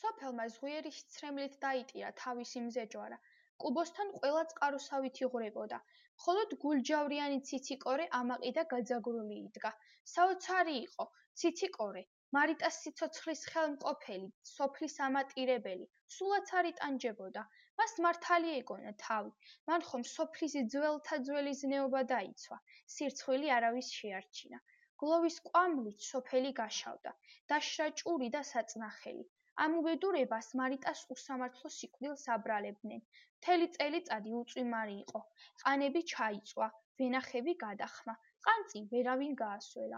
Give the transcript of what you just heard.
სოფელმა ზღვიერი სცრემლით დაიტირა თავისი მზეჯვარა. კუბოსთან ყველა წყაროსავით იღვრებოდა. მხოლოდ გულჯავრიანი ციციკორე ამაყი და გაძაგრული იდგა. საოცარი იყო, ციციკორე, მარიტას სიცოცხლის ხელმყოფელი, სოფლის ამატირებელი, სულაც არ იტანჯებოდა. მას მართალი ეგონა თავი. მან ხომ სოფლის ძველთა ძველი ზნეობა დაიცვა. სირცხვილი არავის შეარჩინა. გლოვის კვამლით სოფელი გაშავდა. დაშრა ჭური და საწნახელი. ამ უბედურებას მარიტას უსამართლო სიკვდილს აბრალებდნენ. მთელი წელიწადი უწვიმარი იყო. ყანები ჩაიწვა, ვენახები გადახმა. ყანწი ვერავინ გაასველა.